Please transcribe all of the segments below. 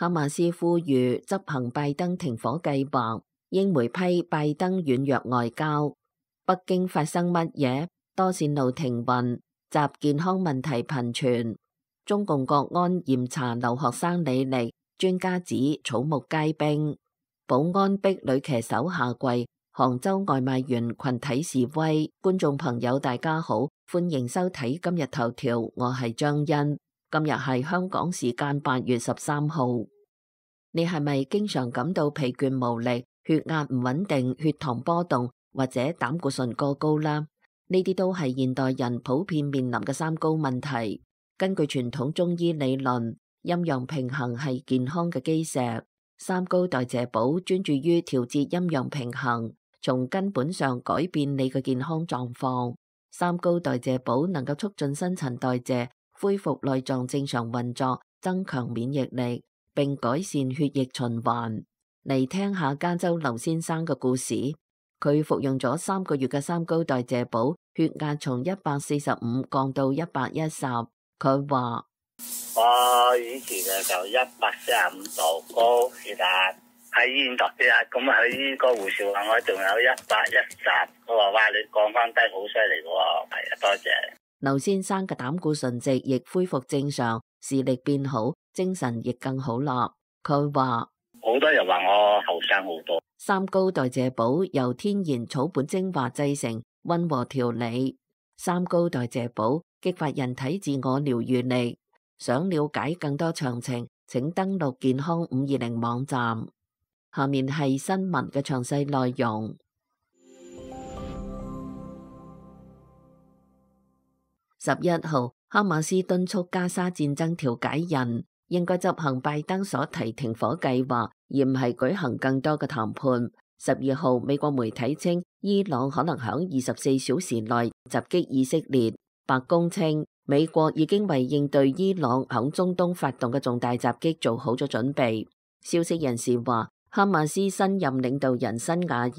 哈馬斯呼籲執行拜登停火計劃，英媒批拜登軟弱外交。北京發生乜嘢？多線路停運，習健康問題頻傳。中共國安嚴查留學生履歷，專家指草木皆兵。保安逼女騎手下跪，杭州外賣員群體示威。觀眾朋友大家好，歡迎收睇今日頭條，我係張欣。今日係香港時間8月13號。你係咪經常感到疲倦無力、血壓唔穩定、血糖波動或者膽固醇過高啦？呢啲都係現代人普遍面臨嘅三高問題。根據傳統中醫理論，陰陽平衡係健康嘅基石。三高代謝寶專注於調節陰陽平衡，從根本上改變你嘅健康狀況。三高代謝寶能夠促進新陳代謝，恢復內臟正常運作，增強免疫力，並改善血液循環。嚟聽下加州劉先生嘅故事。佢服用咗3個月嘅三高代謝寶，血壓從145降到110。佢話：我以前就145度高血壓，喺醫院度血壓，咁喺呢個護士話我仲有110，佢話哇，你降翻低好犀利喎，係啊，多謝。劉先生嘅膽固醇值亦恢復正常，視力變好，精神亦更好啦。佢話：好多人話我後生好多。三高代謝寶由天然草本精華製成，溫和調理。三高代謝寶激發人體自我療癒力。想了解更多詳情，請登錄健康520網站。下面係新聞嘅詳細內容。11號，哈馬斯敦促加沙戰爭調解人應該執行拜登所提停火計劃，而唔係舉行更多嘅談判。12號，美國媒體稱伊朗可能響24小時內襲擊以色列。白宮稱美國已經為應對伊朗響中東發動嘅重大襲擊做好咗準備。消息人士話，哈馬斯新任領導人辛瓦爾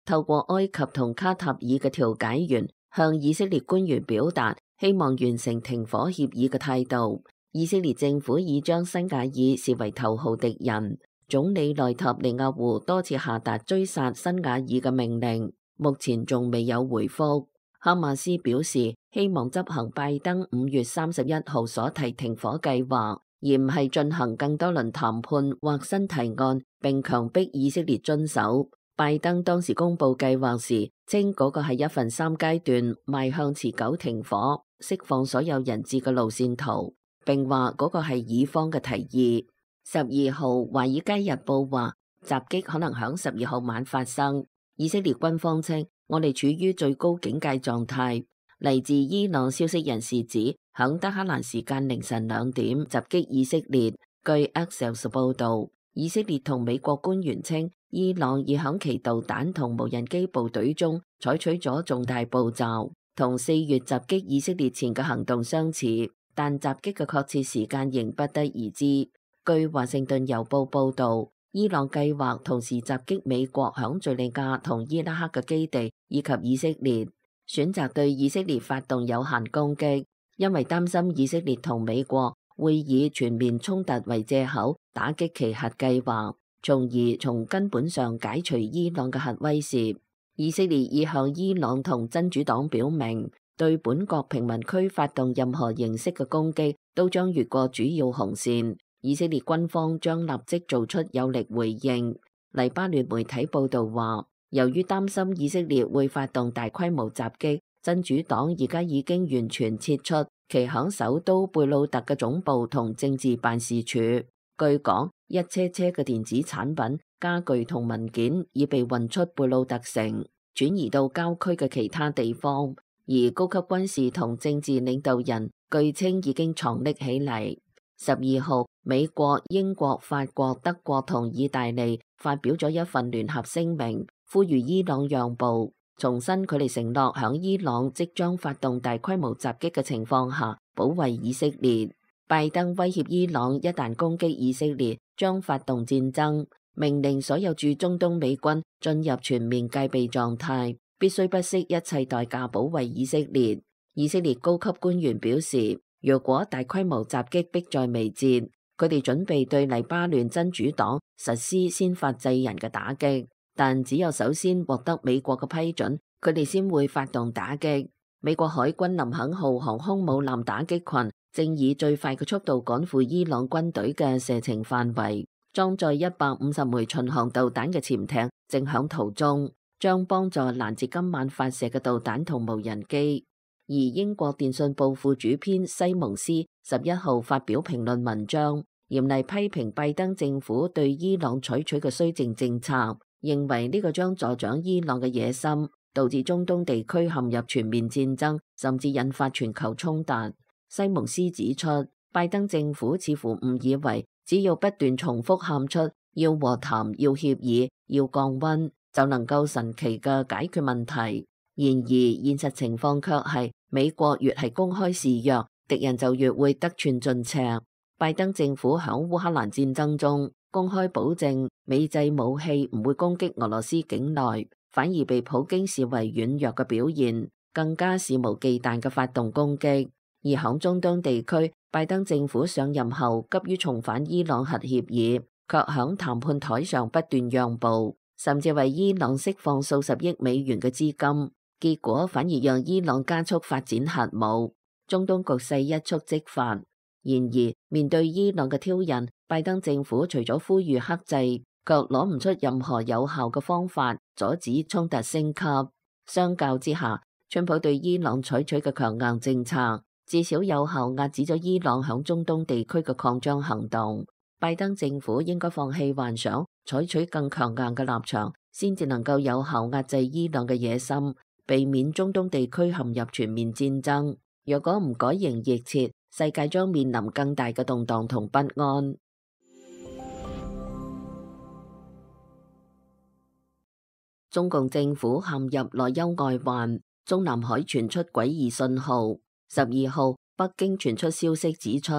透過埃及同卡塔爾嘅調解員向以色列官員表達希望完成停火協議嘅態度。以色列政府已將辛瓦爾視為頭號敵人，總理內塔尼亞胡多次下達追殺辛瓦爾嘅命令，目前仲未有回覆。哈馬斯表示希望執行拜登5月31號所提停火計劃，而唔係進行更多輪談判或新提案，並強迫以色列遵守。拜登當時公布計劃時，稱嗰個係一份3階段邁向持久停火、釋放所有人質嘅路線圖，並話嗰個係以方嘅提議。12號，《華爾街日報》話襲擊可能響12號晚發生。以色列軍方稱，我哋處於最高警戒狀態。嚟自伊朗消息人士指，響德黑蘭時間凌晨2點襲擊以色列。據 Axios 報道，以色列同美國官員稱，伊朗已響其導彈同無人機部隊中採取咗重大步驟，同4月襲擊以色列前嘅行動相似，但襲擊嘅確切時間仍不得而知。據華盛頓郵報報道，伊朗計劃同時襲擊美國響敘利亞同伊拉克嘅基地，以及以色列，選擇對以色列發動有限攻擊，因為擔心以色列同美國會以全面衝突為借口打擊其核計劃，從而從根本上解除伊朗嘅核威懾。以色列已向伊朗同真主黨表明，對本國平民區發動任何形式嘅攻擊都將越過主要紅線。以色列軍方將立即做出有力回應。黎巴嫩媒體報道話，由於擔心以色列會發動大規模襲擊，真主黨而家已經完全撤出其響首都貝魯特嘅總部同政治辦事處。據講，一車車嘅電子產品、家具同文件已被運出貝魯特城，轉移到郊區嘅其他地方，而高級軍事同政治領導人據稱已經藏匿起嚟。12號，美國、英國、法國、德國同意大利發表咗一份聯合聲明，呼籲伊朗讓步，重申佢哋承諾響伊朗即將發動大規模襲擊嘅情況下保衛以色列。拜登威脅伊朗一旦攻擊以色列將發動戰爭，命令所有駐中東美軍進入全面戒備狀態，必須不惜一切代價保衛以色列。以色列高級官員表示，若果大規模襲擊迫在眉睫，佢哋準備對黎巴嫩真主黨實施先發制人嘅打擊，但只有首先獲得美國嘅批准，佢哋先會發動打擊。美國海軍林肯號航空母艦打擊群正以最快嘅速度趕赴伊朗軍隊嘅射程範圍，裝載150枚巡航導彈嘅潛艇正響途中，將幫助攔截今晚發射嘅導彈同無人機。而英國電訊報副主編西蒙斯11號發表評論文章，嚴厲批評拜登政府對伊朗採取嘅綏靖政策，認為呢個將助長伊朗嘅野心，導致中東地區陷入全面戰爭，甚至引發全球衝突。西蒙斯指出，拜登政府似乎誤以為只要不斷重複喊出要和談、要協議、要降溫，就能夠神奇嘅解決問題。然而現實情況卻係，美國越係公開示弱，敵人就越會得寸進尺。拜登政府響烏克蘭戰爭中公開保證美製武器唔會攻擊俄羅斯境內，反而被普京視為軟弱嘅表現，更加肆無忌憚嘅發動攻擊。而響中東地區，拜登政府上任後急於重返伊朗核協議，卻響談判台上不斷讓步，甚至為伊朗釋放數十億美元嘅資金，結果反而讓伊朗加速發展核武，中東局勢一觸即發。然而面對伊朗嘅挑釁，拜登政府除咗呼籲克制，卻攞唔出任何有效嘅方法阻止衝突升級。相較之下，川普對伊朗採取嘅強硬政策，至少有效壓止咗伊朗響中東地區嘅擴張行動。拜登政府應該放棄幻想，採取更強硬嘅立場，先至能夠有效壓制伊朗嘅野心，避免中東地區陷入全面戰爭。若果唔改弦易轍，世界將面臨更大嘅動盪同不安。中共政府陷入內憂外患，中南海傳出詭異信號。12號，北京傳出消息指出，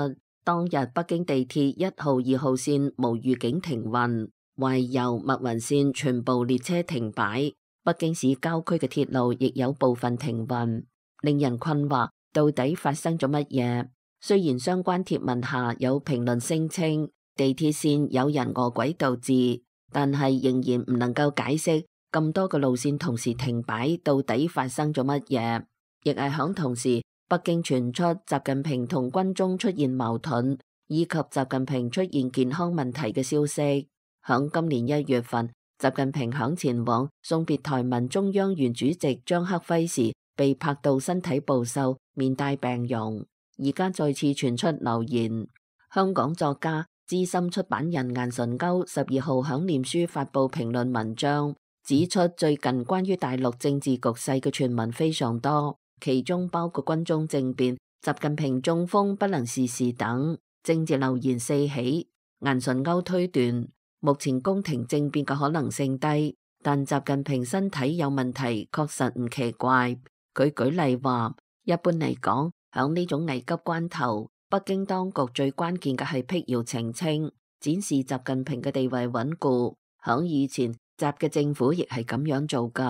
當日北京地鐵1號、2號線無預警停運，懷柔、密雲線全部列車停擺。北京市郊區嘅鐵路亦有部分停運，令人困惑，到底發生咗乜嘢？雖然相關貼文下有評論聲稱地鐵線有人臥軌導致，但係仍然唔能夠解釋咁多個路線同時停擺到底發生咗乜嘢。亦係響同時，北京傳出習近平同軍中出現矛盾，以及習近平出現健康問題嘅消息。響今年1月份，習近平響前往送別台灣中央原主席張克輝時，被拍到身體暴瘦，面帶病容。而家再次傳出流言，香港作家、資深出版人顏純鈎12號響臉書發布評論文章，指出最近關於大陸政治局勢嘅傳聞非常多，其中包括軍中政變、習近平中風不能事事等政治流言四起。顏純鈎推斷，目前宮廷政變嘅可能性低，但習近平身體有問題確實唔奇怪。佢舉例話，一般嚟講，響呢種危急關頭，北京當局最關鍵嘅係辟謠澄清，展示習近平嘅地位穩固。響以前，習嘅政府亦係咁樣做噶。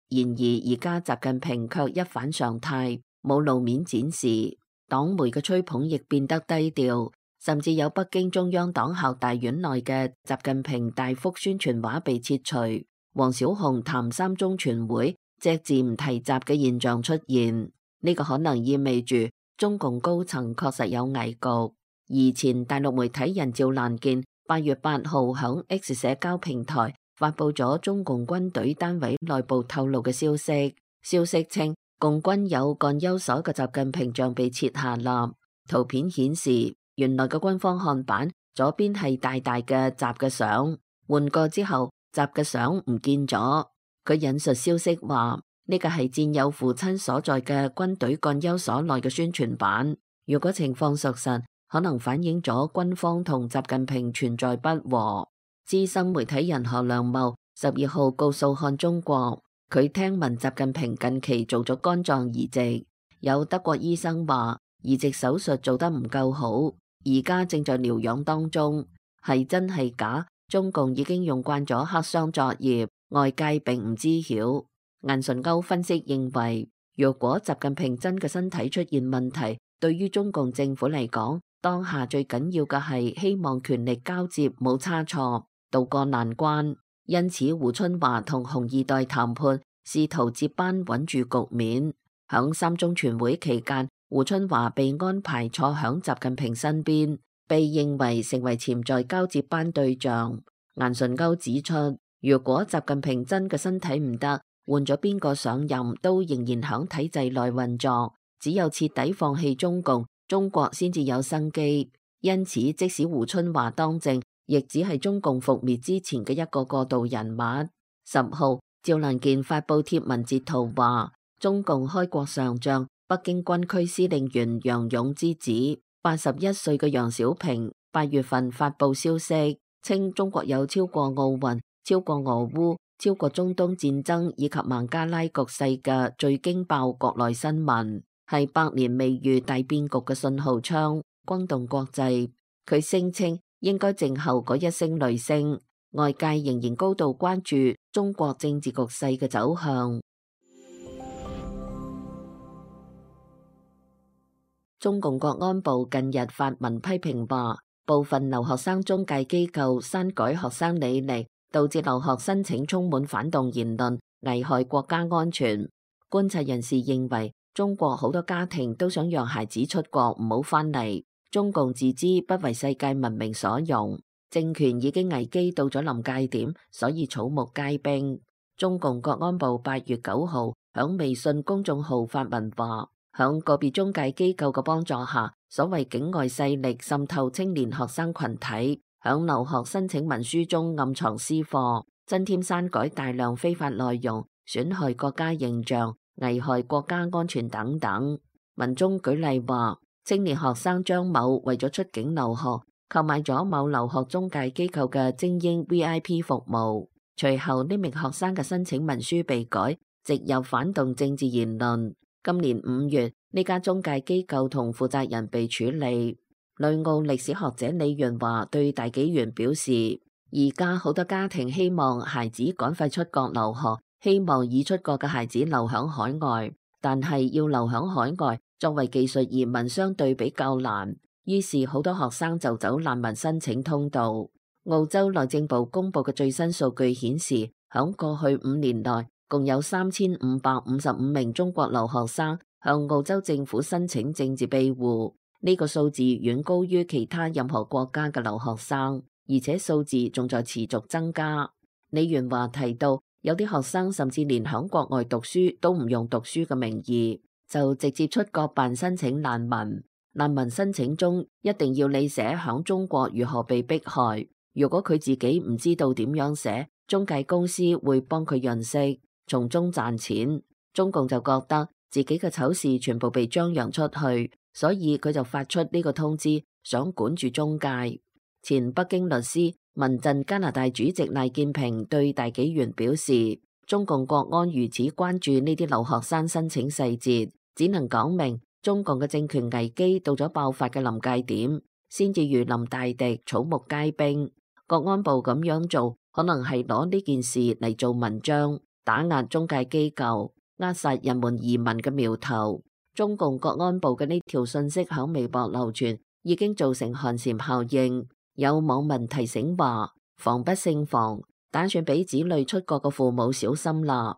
然而而家習近平卻一反常態，冇露面展示，黨媒嘅吹捧亦變得低調，甚至有北京中央黨校大院內嘅習近平大幅宣傳畫被切除，王小洪談3中全會隻字唔提習嘅現象出現。呢個可能意味住中共高層確實有危局。以前大陸媒體人趙蘭健8月8號響 X 社交平台發布咗中共軍隊單位內部透露嘅消息，消息稱共軍有幹休所嘅習近平像被切下啦。圖片顯示原來嘅軍方看板左邊係大大嘅習嘅相，換過之後習嘅相唔見咗。佢引述消息話，呢個係戰友父親所在嘅軍隊幹休所內嘅宣傳版。如果情況屬實，可能反映咗軍方同習近平存在不和。資深媒體人何良茂12號告訴看中國，佢聽聞習近平近期做咗肝臟移植，有德國醫生話移植手術做得唔夠好，而家正在療養當中。係真係假？中共已經用慣咗黑箱作業，外界並唔知曉。顏純鈎分析認為，若果習近平真嘅身體出現問題，對於中共政府嚟講，當下最緊要嘅係希望權力交接冇差錯，渡過難關。因此胡春華同紅二代談判，試圖接班穩住局面。響三中全會期間，胡春華被安排坐響習近平身邊，被認為成為潛在交接班對象。顏純鈎指出，如果習近平真嘅身體唔得，換咗邊個上任都仍然響體制內運作，只有徹底放棄中共，中國先至有生機。因此，即使胡春華當政，亦只係中共覆滅之前嘅一個過渡人物。10號，趙能健發布貼文截圖話，中共開國上將、北京軍區司令員楊勇之子81歲嘅楊小平8月份發布消息，稱中國有超過奧運、超過俄烏、超過中東戰爭以及孟加拉局勢嘅最驚爆國內新聞，係百年未遇大變局嘅信號槍，轟動國際。佢聲稱應該靜候嗰一聲雷聲，外界仍然高度關注中國政治局勢嘅走向。中共國安部近日發文批評話，部分留學生中介機構刪改學生履歷，導致留學申請充滿反動言論，危害國家安全。觀察人士認為，中國好多家庭都想讓孩子出國唔好返嚟，中共自知不為世界文明所用，政權已經危機到咗臨界點，所以草木皆兵。中共國安部8月9號響微信公眾號發文話，響個別中介機構嘅幫助下，所謂境外勢力滲透青年學生群體，響留學申請文書中暗藏私貨，增添刪改大量非法內容，損害國家形象，危害國家安全等等。文中舉例話，青年學生張某為咗出境留學，購買咗某留學中介機構嘅精英 VIP 服務，隨後呢名學生嘅申請文書被改，植入反動政治言論。今年5月，呢家中介機構同負責人被處理。旅澳歷史學者李潤華對大紀元表示，而家好多家庭希望孩子趕快出國留學，希望已出國嘅孩子留響海外，但係要留響海外，作為技術移民相對比較難，於是好多學生就走難民申請通道。澳洲內政部公布嘅最新數據顯示，響過去5年內，共有3555名中國留學生向澳洲政府申請政治庇護，呢個數字遠高於其他任何國家嘅留學生，而且數字仲在持續增加。李元華提到，有啲學生甚至連響國外讀書都唔用讀書嘅名義，就直接出國辦申請難民。難民申請中一定要你寫響中國如何被迫害，如果佢自己唔知道點樣寫，中介公司會幫佢潤色，從中賺錢。中共就覺得自己嘅醜事全部被張揚出去，所以佢就發出呢個通知，想管住中介。前北京律師、民陣加拿大主席賴建平對大紀元表示，中共國安如此關注呢啲留學生申請細節，只能講明中共嘅政權危機到咗爆發嘅臨界點，先至如臨大敵，草木皆兵。國安部咁樣做，可能係攞呢件事嚟做文章，打壓中介機構，扼殺人們移民嘅苗頭。中共國安部嘅呢條信息響微博流傳，已經造成寒蟬效應。有網民提醒話，防不勝防，打算俾子女出國嘅父母小心啦。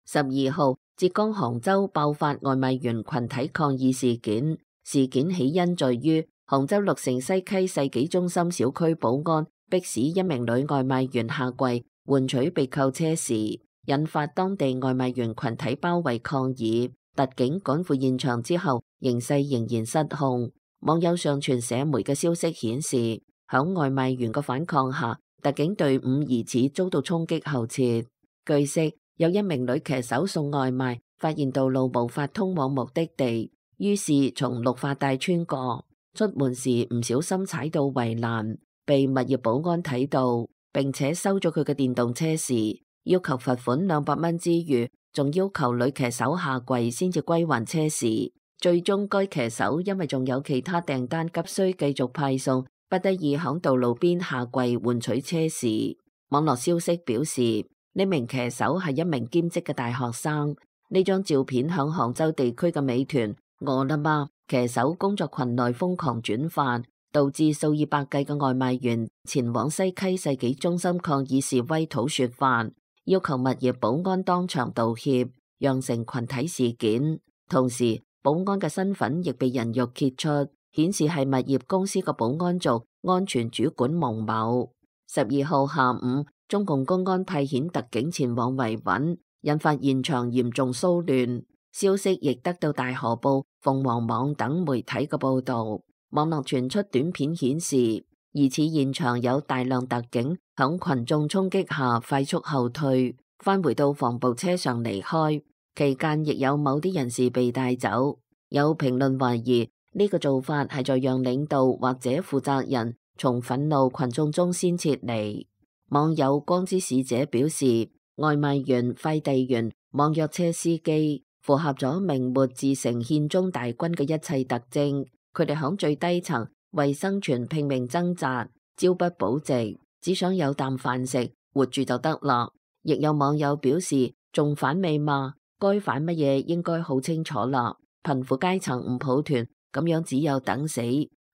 12號，浙江杭州爆發外賣員群體抗議事件，事件起因在於杭州鹿城西溪世紀中心小區保安迫使一名女外賣員下跪換取被扣車時，引發當地外賣員群體包圍抗議。特警趕赴現場之後，形勢仍然失控。網友上傳社媒嘅消息顯示，響外賣員嘅反抗下，特警隊伍疑似遭到衝擊後撤。據悉，有一名女騎手送外賣，發現道路無法通往目的地，於是從綠化帶穿過，出門時唔小心踩到圍欄，被物業保安睇到，並且收咗佢嘅電動車匙，要求罰款200蚊之餘，仲要求女騎手下跪先至歸還車匙。最終該騎手因為仲有其他訂單急需繼續派送，不得已響道路邊下跪換取車匙。網絡消息表示，呢名騎手係一名兼職嘅大學生，呢張照片響杭州地區嘅美團、餓了麼騎手工作群內瘋狂轉發，導致數以百計嘅外賣員前往西溪世紀中心抗議示威討說法，要求物業保安當場道歉，釀成群體事件。同時，保安嘅身份亦被人肉揭出，顯示係物業公司嘅保安組安全主管蒙某。12號下午，中共公安派遣特警前往維穩，引發現場嚴重騷亂。消息亦得到大河報、鳳凰網等媒體嘅報道。網絡傳出短片顯示，疑似現場有大量特警響群眾衝擊下快速後退，返回到防暴車上離開。期間亦有某啲人士被帶走。有評論懷疑呢個做法係在讓領導或者負責人從憤怒群眾中先撤離。網友光之使者表示，外賣員、快遞員、網約車司機符合咗明末自成憲宗大軍嘅一切特徵。佢哋響最低層為生存拼命掙扎，朝不保夕，只想有啖飯食，活住就得啦。亦有網友表示，仲反美嘛？該反乜嘢應該好清楚啦。貧苦階層唔抱團，咁樣只有等死。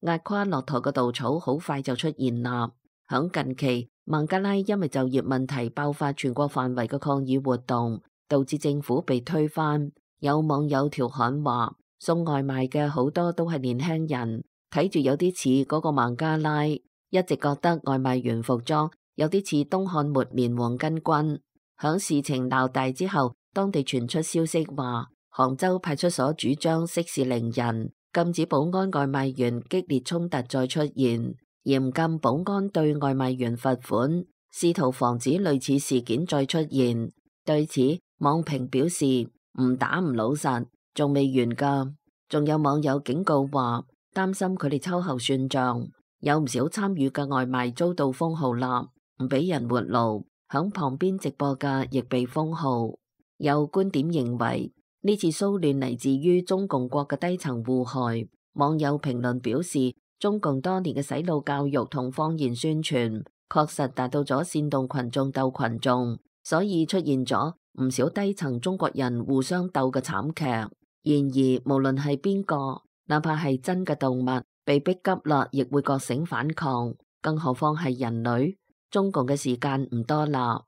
壓垮駱駝嘅稻草好快就出現啦。響近期，孟加拉因為就業問題爆發全國範圍嘅抗議活動，導致政府被推翻。有網友調侃話，送外賣嘅好多都係年輕人，睇住有啲似嗰個孟加拉。一直覺得外賣員服裝有啲似東漢末年黃巾軍。響事情鬧大之後，當地傳出消息話，杭州派出所主張息事寧人，禁止保安外賣員激烈衝突再出現，嚴禁保安對外賣員罰款，試圖防止類似事件再出現。對此，網評表示唔打唔老實，仲未完㗎。仲有網友警告話，擔心佢哋秋後算賬。有唔少參與嘅外賣遭到封號啦，唔俾人活路。響旁邊直播嘅亦被封號。有觀點認為，呢次騷亂嚟自於中共國嘅低層禍害。網友評論表示，中共多年嘅洗腦教育同謊言宣傳，確實達到咗煽動群眾鬥群眾，所以出現咗唔少低層中國人互相鬥嘅慘劇。然而，無論係邊個，哪怕係真嘅動物，被逼急啦，亦會覺醒反抗，更何況係人類。中共嘅時間唔多啦。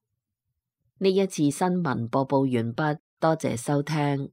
呢一次新聞播報完畢，多謝收聽。